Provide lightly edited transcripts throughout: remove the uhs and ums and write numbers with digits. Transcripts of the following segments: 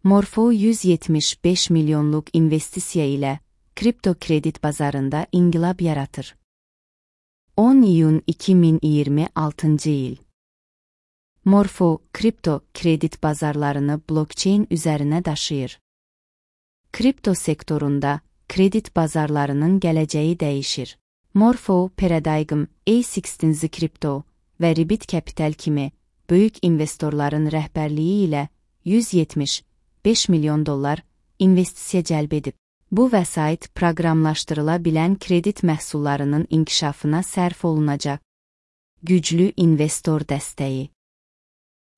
Morpho 175 milyonluq investisiya ilə kripto kredit bazarında inqilab yaratır. 10 iyun 2026 il. Morpho kripto kredit bazarlarını blockchain üzərinə daşıyır. Kripto sektorunda kredit bazarlarının gələcəyi dəyişir. Morpho, Paradigm, A16 Crypto və Ribbit Capital kimi böyük investorların rəhbərliyi ilə 175 milyon dollar investisiya cəlb edib. Bu vəsait proqramlaşdırıla bilən kredit məhsullarının inkişafına sərf olunacaq. Güclü investor dəstəyi.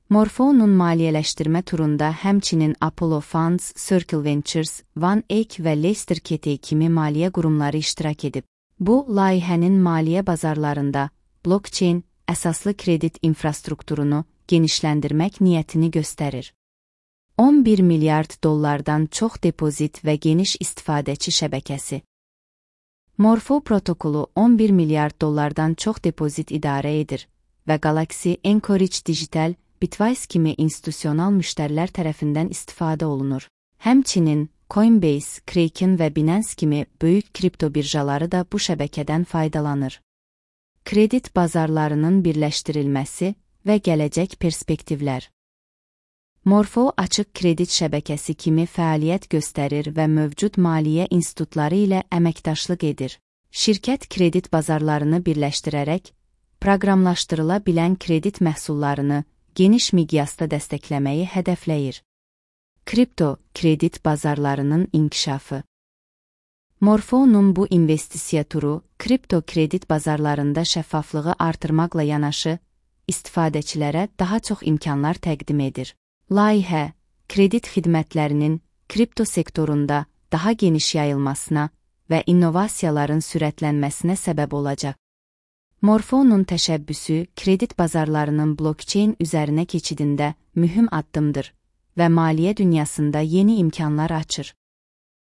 Morpho'nun maliyyələşdirmə turunda həmçinin Apollo Funds, Circle Ventures, One Egg və Leicester City kimi maliyyə qurumları iştirak edib. Bu, layihənin maliyyə bazarlarında blockchain əsaslı kredit infrastrukturunu genişləndirmək niyyətini göstərir. 11 milyard dollardan çox depozit və geniş istifadəçi şəbəkəsi. Morpho protokolu 11 milyard dollardan çox depozit idarə edir və Galaxy, Anchorage Digital, Bitwise kimi institusional müştərilər tərəfindən istifadə olunur. Həmçinin Coinbase, Kraken və Binance kimi böyük kripto birjaları da bu şəbəkədən faydalanır. Kredit bazarlarının birləşdirilməsi və gələcək perspektivlər. Morpho açıq kredit şəbəkəsi kimi fəaliyyət göstərir və mövcud maliyyə institutları ilə əməkdaşlıq edir. Şirkət kredit bazarlarını birləşdirərək, proqramlaşdırıla bilən kredit məhsullarını geniş miqyasda dəstəkləməyi hədəfləyir. Kripto kredit bazarlarının inkişafı. Morpho'nun bu investisiya turu, kripto kredit bazarlarında şəffaflığı artırmaqla yanaşı, istifadəçilərə daha çox imkanlar təqdim edir. Layihə, kredit xidmətlərinin kripto sektorunda daha geniş yayılmasına və innovasiyaların sürətlənməsinə səbəb olacaq. Morpho'nun təşəbbüsü kredit bazarlarının blockchain üzərinə keçidində mühüm addımdır və maliyyə dünyasında yeni imkanlar açır.